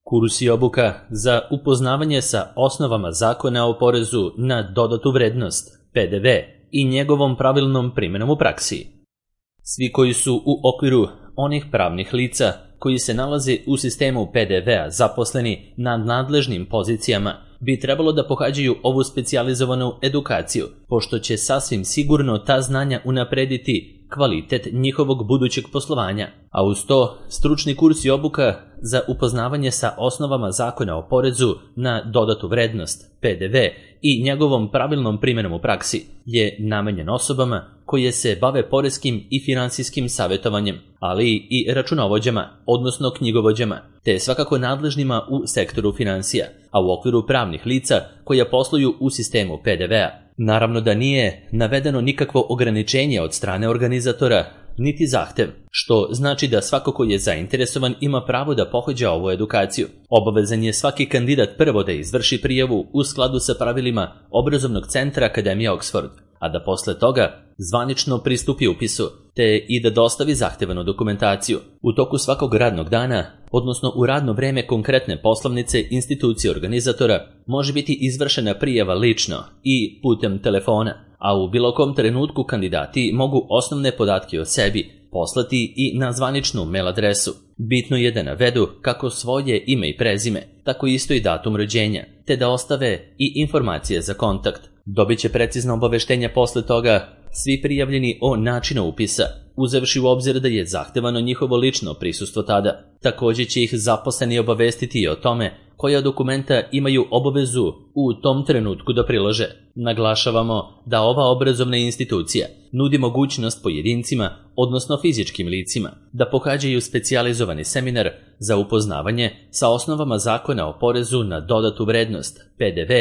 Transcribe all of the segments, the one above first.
Kurs i obuka za upoznavanje sa osnovama Zakona o porezu na dodatu vrednost, PDV, i njegovom pravilnom primjenom u praksi. Svi koji su u okviru onih pravnih lica koji se nalaze u sistemu PDV-a zaposleni na nadležnim pozicijama bi trebalo da pohađaju ovu specijalizovanu edukaciju, pošto će sasvim sigurno ta znanja unaprediti kvalitet njihovog budućeg poslovanja, a uz to stručni kurs i obuka za upoznavanje sa osnovama Zakona o porezu na dodatu vrednost, PDV, i njegovom pravilnom primjenom u praksi je namenjen osobama koje se bave poreskim i finansijskim savjetovanjem, ali i računovođama, odnosno knjigovođama, te svakako nadležnima u sektoru finansija, a u okviru pravnih lica koja posluju u sistemu PDV-a. Naravno da nije navedeno nikakvo ograničenje od strane organizatora, niti zahtev, što znači da svako ko je zainteresovan ima pravo da pohađa ovu edukaciju. Obavezan je svaki kandidat prvo da izvrši prijavu u skladu sa pravilima obrazovnog centra Akademije Oxford, a da posle toga zvanično pristupi upisu, te i da dostavi zahtevanu dokumentaciju. U toku svakog radnog dana, odnosno u radno vreme konkretne poslovnice institucije organizatora, može biti izvršena prijava lično i putem telefona, a u bilo kom trenutku kandidati mogu osnovne podatke o sebi poslati i na zvaničnu mail adresu. Bitno je da navedu kako svoje ime i prezime, tako isto i datum rođenja, te da ostave i informacije za kontakt. Dobit će precizno obaveštenja posle toga svi prijavljeni o načinu upisa, uzevši u obzir da je zahtevano njihovo lično prisustvo tada. Također će ih zaposleni obavestiti i o tome koja dokumenta imaju obavezu u tom trenutku da prilože. Naglašavamo da ova obrazovna institucija nudi mogućnost pojedincima, odnosno fizičkim licima, da pohađaju specijalizovani seminar za upoznavanje sa osnovama Zakona o porezu na dodatu vrednost, PDV,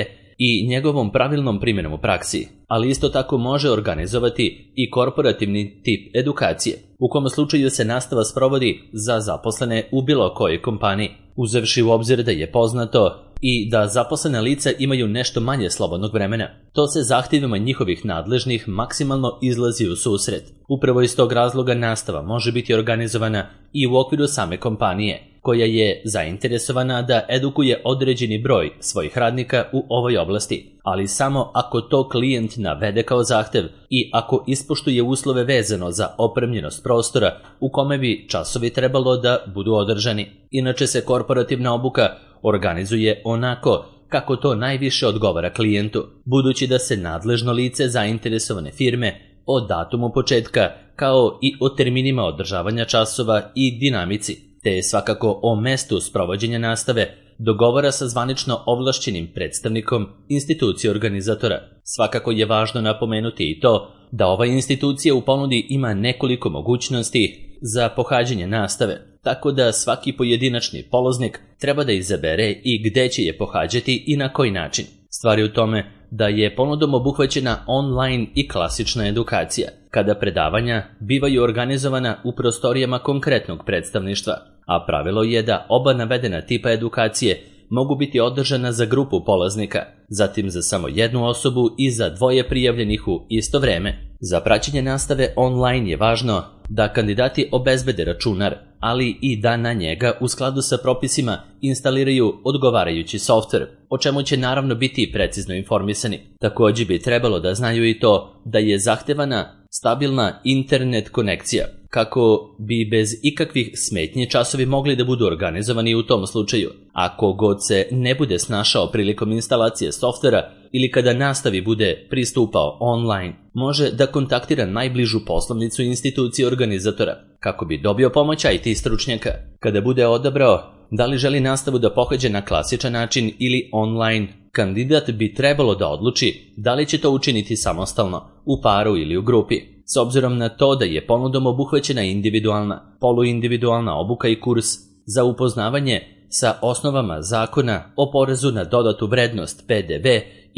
i njegovom pravilnom primjenom u praksi, ali isto tako može organizovati i korporativni tip edukacije, u kom slučaju se nastava sprovodi za zaposlene u bilo kojoj kompaniji, uzevši u obzir da je poznato i da zaposlena lica imaju nešto manje slobodnog vremena. To se zahtjevima njihovih nadležnih maksimalno izlazi u susret. Upravo iz tog razloga nastava može biti organizovana i u okviru same kompanije, koja je zainteresovana da edukuje određeni broj svojih radnika u ovoj oblasti, ali samo ako to klijent navede kao zahtev i ako ispoštuje uslove vezano za opremljenost prostora u kome bi časovi trebalo da budu održani. Inače se korporativna obuka organizuje onako kako to najviše odgovara klijentu, budući da se nadležno lice zainteresovane firme o datumu početka, kao i o terminima održavanja časova i dinamici, te svakako o mestu sprovođenja nastave, dogovara sa zvanično ovlašćenim predstavnikom institucije organizatora. Svakako je važno napomenuti i to da ova institucija u ponudi ima nekoliko mogućnosti za pohađanje nastave, tako da svaki pojedinačni polaznik treba da izabere i gde će je pohađati i na koji način. Stvar je u tome da je ponudom obuhvaćena online i klasična edukacija, kada predavanja bivaju organizovana u prostorijama konkretnog predstavništva, a pravilo je da oba navedena tipa edukacije mogu biti održana za grupu polaznika, zatim za samo jednu osobu i za dvoje prijavljenih u isto vreme. Za praćenje nastave online je važno da kandidati obezbede računar, ali i da na njega u skladu sa propisima instaliraju odgovarajući softver, o čemu će naravno biti precizno informisani. Također bi trebalo da znaju i to da je zahtevana stabilna internet konekcija, kako bi bez ikakvih smetnji časovi mogli da budu organizovani u tom slučaju. Ako god se ne bude snašao prilikom instalacije softvera ili kada nastavi bude pristupao online, može da kontaktira najbližu poslovnicu institucije organizatora kako bi dobio pomoć IT stručnjaka. Kada bude odabrao da li želi nastavu da pohađa na klasičan način ili online, kandidat bi trebalo da odluči da li će to učiniti samostalno, u paru ili u grupi. S obzirom na to da je ponudom obuhvaćena individualna, poluindividualna obuka i kurs za upoznavanje sa osnovama Zakona o porezu na dodatu vrednost, PDV,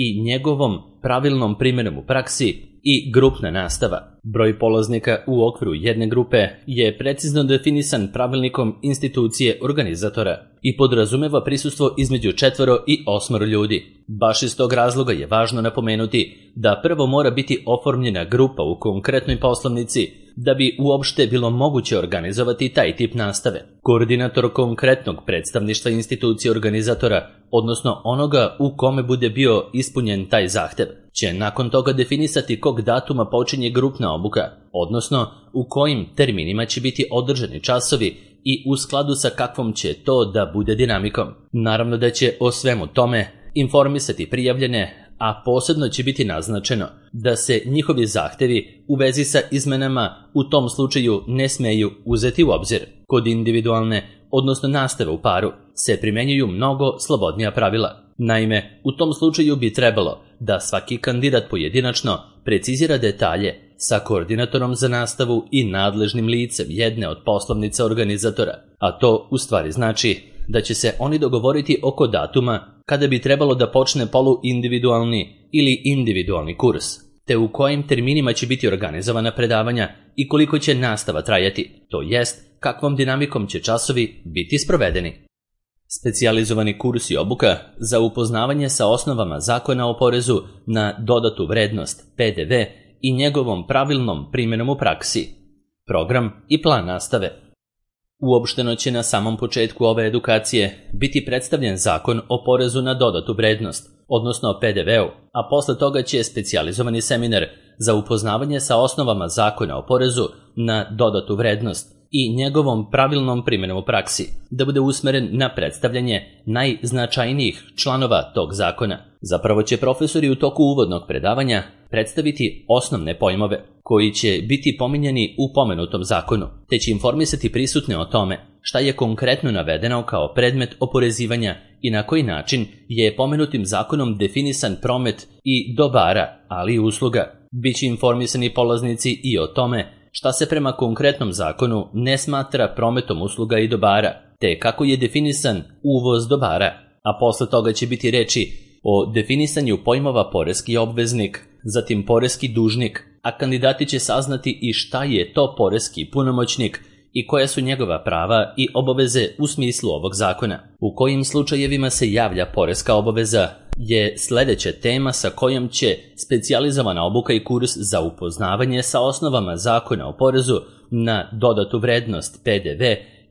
i njegovom pravilnom primjenom u praksi i grupna nastava. Broj polaznika u okviru jedne grupe je precizno definisan pravilnikom institucije organizatora i podrazumeva prisustvo između 4 i 8 ljudi. Baš iz tog razloga je važno napomenuti da prvo mora biti oformljena grupa u konkretnoj poslovnici da bi uopšte bilo moguće organizovati taj tip nastave. Koordinator konkretnog predstavništva institucije organizatora, odnosno onoga u kome bude bio ispunjen taj zahtev, će nakon toga definisati kog datuma počinje grupna obuka, odnosno u kojim terminima će biti održani časovi i u skladu sa kakvom će to da bude dinamikom. Naravno da će o svemu tome informisati prijavljene, a posebno će biti naznačeno da se njihovi zahtevi u vezi sa izmenama u tom slučaju ne smeju uzeti u obzir. Kod individualne, odnosno nastave u paru, se primenjuju mnogo slobodnija pravila. Naime, u tom slučaju bi trebalo da svaki kandidat pojedinačno precizira detalje sa koordinatorom za nastavu i nadležnim licem jedne od poslovnica organizatora, a to u stvari znači da će se oni dogovoriti oko datuma kada bi trebalo da počne poluindividualni ili individualni kurs, te u kojim terminima će biti organizovana predavanja i koliko će nastava trajati, to jest kakvom dinamikom će časovi biti sprovedeni. Specijalizovani kurs i obuka za upoznavanje sa osnovama Zakona o porezu na dodatu vrednost PDV i njegovom pravilnom primjenom u praksi. Program i plan nastave. Uopšteno će na samom početku ove edukacije biti predstavljen Zakon o porezu na dodatu vrednost, odnosno o PDV-u, a posle toga će specijalizovani seminar za upoznavanje sa osnovama Zakona o porezu na dodatu vrednost i njegovom pravilnom primjenom u praksi da bude usmeren na predstavljanje najznačajnijih članova tog zakona. Zapravo će profesori u toku uvodnog predavanja predstaviti osnovne pojmove koji će biti pominjani u pomenutom zakonu, te će informisati prisutne o tome šta je konkretno navedeno kao predmet oporezivanja i na koji način je pomenutim zakonom definisan promet i dobara, ali i usluga. Biće informisani polaznici i o tome šta se prema konkretnom zakonu ne smatra prometom usluga i dobara, te kako je definisan uvoz dobara, a posle toga će biti reči o definisanju pojmova poreski obveznik, zatim poreski dužnik, a kandidati će saznati i šta je to poreski punomoćnik i koja su njegova prava i obaveze u smislu ovog zakona. U kojim slučajevima se javlja poreska obaveza je sledeća tema sa kojom će specijalizovana obuka i kurs za upoznavanje sa osnovama Zakona o porezu na dodatu vrednost PDV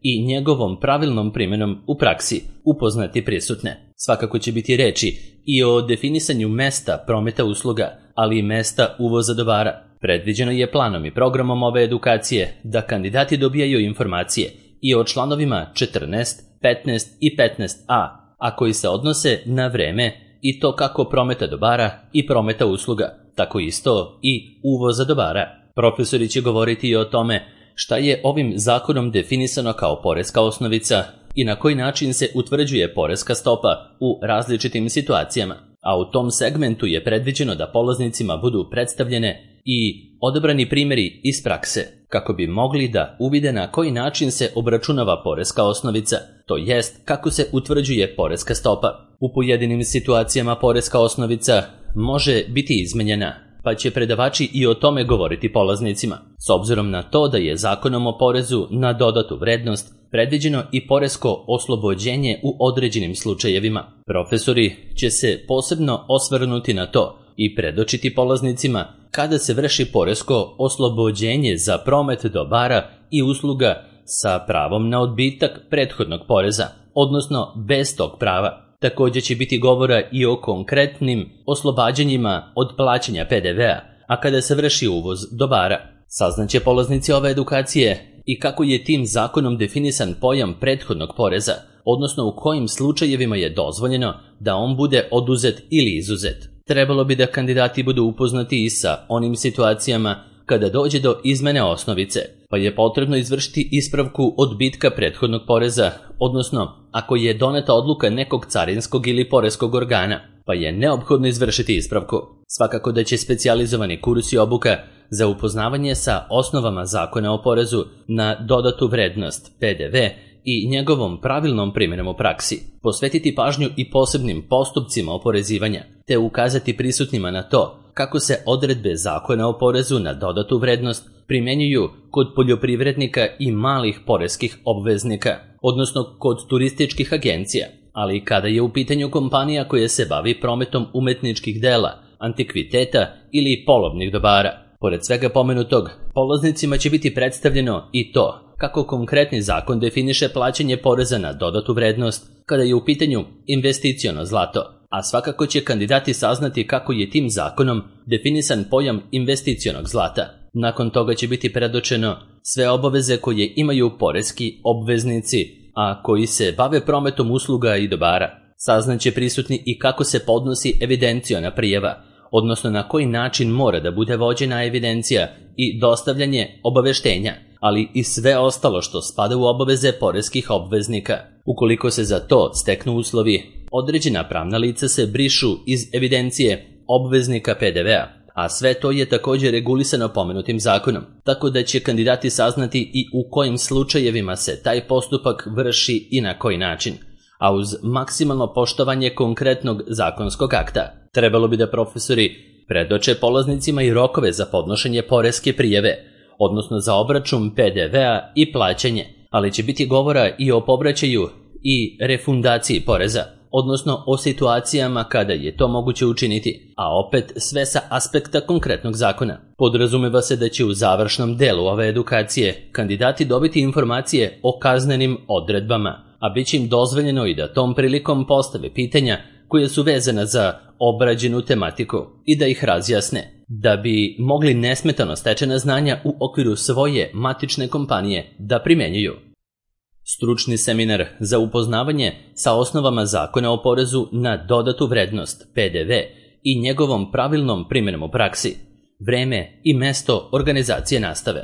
i njegovom pravilnom primjenom u praksi upoznati prisutne. Svakako će biti reči i o definisanju mesta prometa usluga, ali i mesta uvoza dobara. Predviđeno je planom i programom ove edukacije da kandidati dobijaju informacije i o članovima 14, 15 i 15a, a koji se odnose na vreme i to kako prometa dobara i prometa usluga, tako isto i uvoza dobara. Profesori će govoriti i o tome šta je ovim zakonom definisano kao poreska osnovica i na koji način se utvrđuje poreska stopa u različitim situacijama, a u tom segmentu je predviđeno da polaznicima budu predstavljene i odabrani primjeri iz prakse, kako bi mogli da uvide na koji način se obračunava poreska osnovica, to jest kako se utvrđuje poreska stopa. U pojedinim situacijama poreska osnovica može biti izmenjena, pa će predavači i o tome govoriti polaznicima, s obzirom na to da je Zakonom o porezu na dodatu vrednost predviđeno i poresko oslobođenje u određenim slučajevima. Profesori će se posebno osvrnuti na to i predočiti polaznicima kada se vrši poresko oslobođenje za promet dobara i usluga sa pravom na odbitak prethodnog poreza, odnosno bez tog prava. Također će biti govora i o konkretnim oslobađanjima od plaćanja PDV-a, a kada se vrši uvoz dobara. Saznaće polaznici ove edukacije i kako je tim zakonom definisan pojam prethodnog poreza, odnosno u kojim slučajevima je dozvoljeno da on bude oduzet ili izuzet. Trebalo bi da kandidati budu upoznati i sa onim situacijama kada dođe do izmene osnovice, pa je potrebno izvršiti ispravku odbitka prethodnog poreza, odnosno ako je doneta odluka nekog carinskog ili poreskog organa, pa je neophodno izvršiti ispravku. Svakako da će specijalizovani kurs i obuka za upoznavanje sa osnovama Zakona o porezu na dodatu vrednost PDV i njegovom pravilnom primjenom u praksi, posvetiti pažnju i posebnim postupcima oporezivanja, te ukazati prisutnima na to kako se odredbe Zakona o porezu na dodatu vrednost primjenjuju kod poljoprivrednika i malih poreskih obveznika, odnosno kod turističkih agencija, ali i kada je u pitanju kompanija koja se bavi prometom umetničkih dela, antikviteta ili polovnih dobara. Pored svega pomenutog, polaznicima će biti predstavljeno i to kako konkretni zakon definiše plaćanje poreza na dodatu vrednost kada je u pitanju investiciono zlato, a svakako će kandidati saznati kako je tim zakonom definisan pojam investicionog zlata. Nakon toga će biti predočeno sve obaveze koje imaju poreski obveznici, a koji se bave prometom usluga i dobara. Saznaće prisutni i kako se podnosi evidenciona prijava, odnosno na koji način mora da bude vođena evidencija i dostavljanje obaveštenja, ali i sve ostalo što spada u obaveze poreskih obveznika. Ukoliko se za to steknu uslovi, određena pravna lica se brišu iz evidencije obveznika PDV-a, a sve to je također regulisano pomenutim zakonom, tako da će kandidati saznati i u kojim slučajevima se taj postupak vrši i na koji način, a uz maksimalno poštovanje konkretnog zakonskog akta. Trebalo bi da profesori predoče polaznicima i rokove za podnošenje poreske prijave, odnosno za obračun PDV-a i plaćanje, ali će biti govora i o povraćaju i refundaciji poreza, odnosno o situacijama kada je to moguće učiniti, a opet sve sa aspekta konkretnog zakona. Podrazumeva se da će u završnom delu ove edukacije kandidati dobiti informacije o kaznenim odredbama, a bit će im dozvoljeno i da tom prilikom postave pitanja koje su vezana za obrađenu tematiku i da ih razjasne, da bi mogli nesmetano stečena znanja u okviru svoje matične kompanije da primenjuju. Stručni seminar za upoznavanje sa osnovama Zakona o porezu na dodatu vrednost PDV i njegovom pravilnom primjenom u praksi, vreme i mesto organizacije nastave.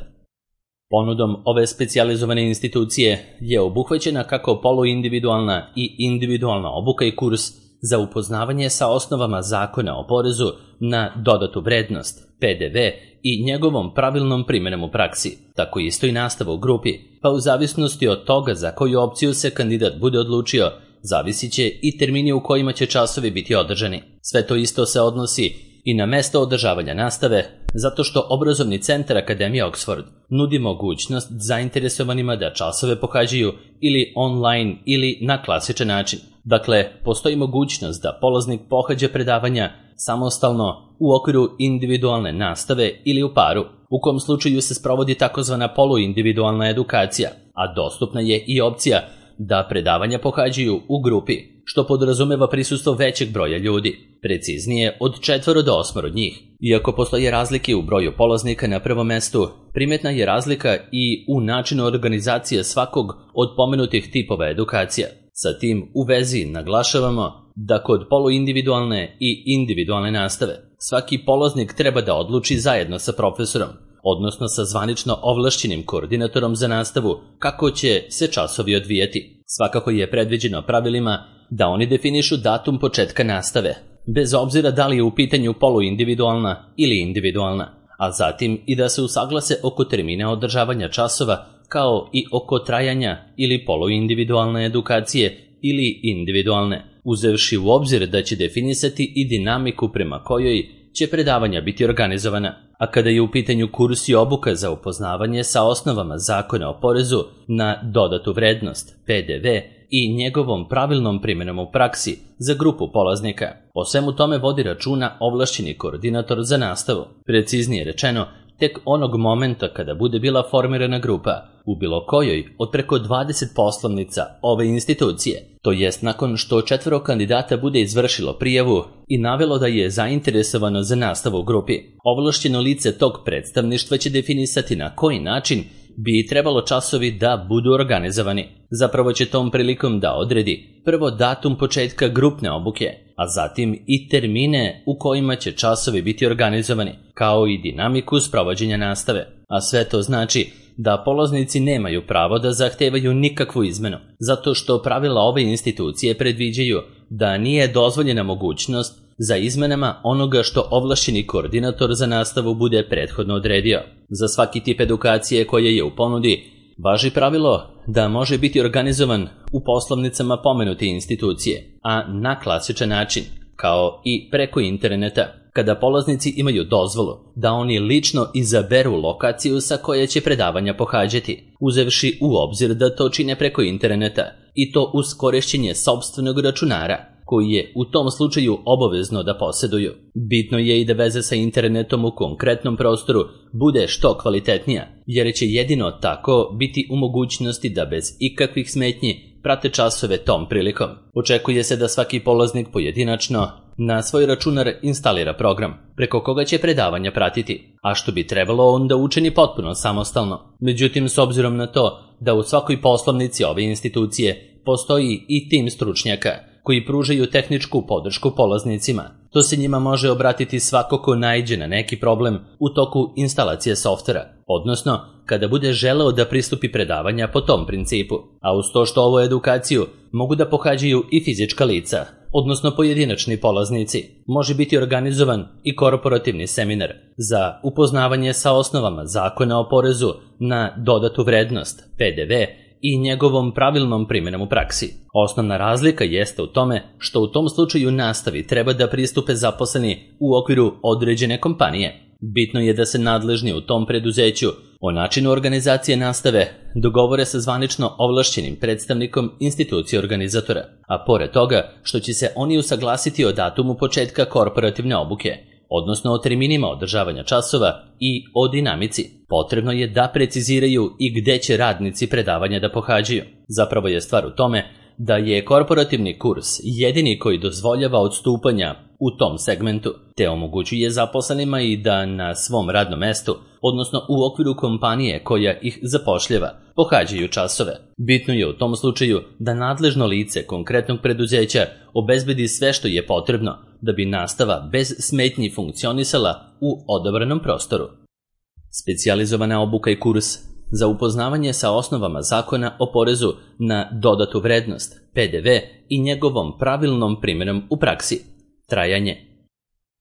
Ponudom ove specijalizovane institucije je obuhvaćena kako poluindividualna i individualna obuka i kurs za upoznavanje sa osnovama Zakona o porezu na dodatu vrednost, PDV i njegovom pravilnom primjenom u praksi, tako isto i nastava u grupi, pa u zavisnosti od toga za koju opciju se kandidat bude odlučio, zavisit će i termini u kojima će časovi biti održani. Sve to isto se odnosi i na mesto održavanja nastave, zato što Obrazovni centar Akademije Oxford nudi mogućnost zainteresovanima da časove pohađaju ili online ili na klasičan način. Dakle, postoji mogućnost da polaznik pohađa predavanja samostalno u okviru individualne nastave ili u paru, u kom slučaju se sprovodi takozvana poluindividualna edukacija, a dostupna je i opcija da predavanja pohađaju u grupi, što podrazumeva prisustvo većeg broja ljudi, preciznije od 4 do 8 njih. Iako postoje razlike u broju polaznika na prvom mestu, primetna je razlika i u načinu organizacije svakog od pomenutih tipova edukacija. Sa tim u vezi naglašavamo da kod poluindividualne i individualne nastave svaki polaznik treba da odluči zajedno sa profesorom, odnosno sa zvanično ovlašćenim koordinatorom za nastavu, kako će se časovi odvijati. Svakako je predviđeno pravilima da oni definišu datum početka nastave, bez obzira da li je u pitanju poluindividualna ili individualna, a zatim i da se usaglase oko termina održavanja časova, kao i oko trajanja ili poluindividualne edukacije ili individualne, uzevši u obzir da će definisati i dinamiku prema kojoj će predavanja biti organizovana. A kada je u pitanju kurs i obuka za upoznavanje sa osnovama Zakona o porezu na dodatu vrednost, PDV i njegovom pravilnom primjenom u praksi za grupu polaznika, o svemu tome vodi računa ovlašćeni koordinator za nastavu. Preciznije rečeno, tek onog momenta kada bude bila formirana grupa u bilo kojoj od preko 20 poslovnica ove institucije, to jest nakon što 4 kandidata bude izvršilo prijavu i navelo da je zainteresovano za nastavu u grupi, ovlašćeno lice tog predstavništva će definisati na koji način bi trebalo časovi da budu organizovani. Zapravo će tom prilikom da odredi prvo datum početka grupne obuke, a zatim i termine u kojima će časovi biti organizovani, kao i dinamiku sprovođenja nastave. A sve to znači da polaznici nemaju pravo da zahtevaju nikakvu izmenu, zato što pravila ove institucije predviđaju da nije dozvoljena mogućnost za izmenama onoga što ovlašćeni koordinator za nastavu bude prethodno odredio. Za svaki tip edukacije koja je u ponudi važi pravilo da može biti organizovan u poslovnicama pomenute institucije, a na klasičan način, kao i preko interneta, kada polaznici imaju dozvolu da oni lično izaberu lokaciju sa koje će predavanja pohađati, uzevši u obzir da to čine preko interneta i to uz korišćenje sopstvenog računara, koji je u tom slučaju obavezno da posjeduju. Bitno je i da veza sa internetom u konkretnom prostoru bude što kvalitetnija, jer će jedino tako biti u mogućnosti da bez ikakvih smetnji prate časove tom prilikom. Očekuje se da svaki polaznik pojedinačno na svoj računar instalira program preko koga će predavanja pratiti, a što bi trebalo onda učini potpuno samostalno. Međutim, s obzirom na to da u svakoj poslovnici ove institucije postoji i tim stručnjaka koji pružaju tehničku podršku polaznicima, to se njima može obratiti svako ko naiđe na neki problem u toku instalacije softvera, odnosno kada bude želeo da pristupi predavanja po tom principu, a uz to što ovu edukaciju mogu da pohađaju i fizička lica, odnosno pojedinačni polaznici, može biti organizovan i korporativni seminar za upoznavanje sa osnovama Zakona o porezu na dodatu vrednost, PDV, i njegovom pravilnom primjenom u praksi. Osnovna razlika jeste u tome što u tom slučaju nastavi treba da pristupe zaposleni u okviru određene kompanije. Bitno je da se nadležni u tom preduzeću o načinu organizacije nastave dogovore sa zvanično ovlašćenim predstavnikom institucije organizatora, a pored toga što će se oni usaglasiti o datumu početka korporativne obuke, odnosno o terminima održavanja časova i o dinamici. Potrebno je da preciziraju i gde će radnici predavanja da pohađaju. Zapravo je stvar u tome da je korporativni kurs jedini koji dozvoljava odstupanja u tom segmentu, te omogućuje zaposlenima i da na svom radnom mestu, odnosno u okviru kompanije koja ih zapošljava, pohađaju časove. Bitno je u tom slučaju da nadležno lice konkretnog preduzeća obezbedi sve što je potrebno da bi nastava bez smetnji funkcionisala u odabranom prostoru. Specijalizovana obuka i kurs za upoznavanje sa osnovama Zakona o porezu na dodatu vrednost, PDV, i njegovom pravilnom primjenom u praksi. Trajanje.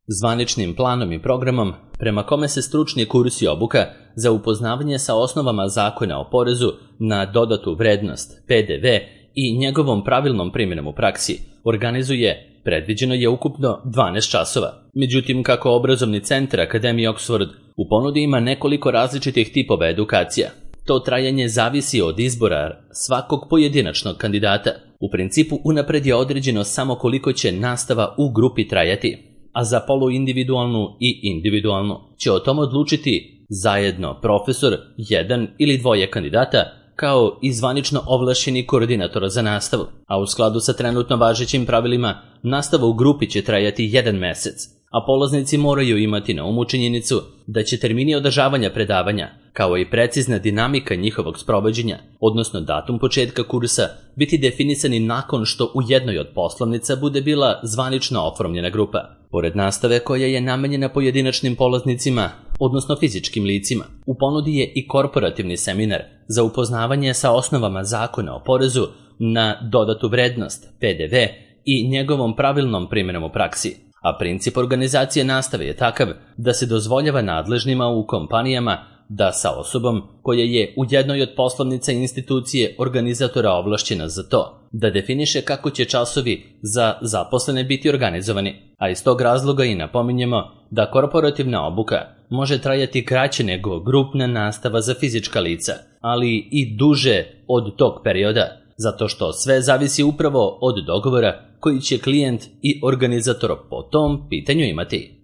Zvaničnim planom i programom prema kome se stručni kurs i obuka za upoznavanje sa osnovama Zakona o porezu na dodatu vrednost, PDV, i njegovom pravilnom primjenom u praksi organizuje, predviđeno je ukupno 12 časova. Međutim, kako obrazovni centar Akademije Oxford u ponudi ima nekoliko različitih tipova edukacija, to trajanje zavisi od izbora svakog pojedinačnog kandidata. U principu unapred je određeno samo koliko će nastava u grupi trajati, a za poluindividualnu i individualnu će o tom odlučiti zajedno profesor, jedan ili dvoje kandidata, kao i zvanično ovlašćeni koordinator za nastavu, a u skladu sa trenutno važećim pravilima nastava u grupi će trajati 1 mesec, a polaznici moraju imati na umu činjenicu da će termini održavanja predavanja, kao i precizna dinamika njihovog sprovođenja, odnosno datum početka kursa, biti definisani nakon što u jednoj od poslovnica bude bila zvanično oformljena grupa. Pored nastave koja je namenjena pojedinačnim polaznicima, odnosno fizičkim licima, u ponudi je i korporativni seminar za upoznavanje sa osnovama Zakona o porezu na dodatu vrednost, PDV, i njegovom pravilnom primjenom u praksi. A princip organizacije nastave je takav da se dozvoljava nadležnima u kompanijama da sa osobom koja je u jednoj od poslovnica institucije organizatora ovlašćena za to, da definiše kako će časovi za zaposlene biti organizovani, a iz tog razloga i napominjemo da korporativna obuka može trajati kraće nego grupna nastava za fizička lica, ali i duže od tog perioda, zato što sve zavisi upravo od dogovora koji će klijent i organizator po tom pitanju imati.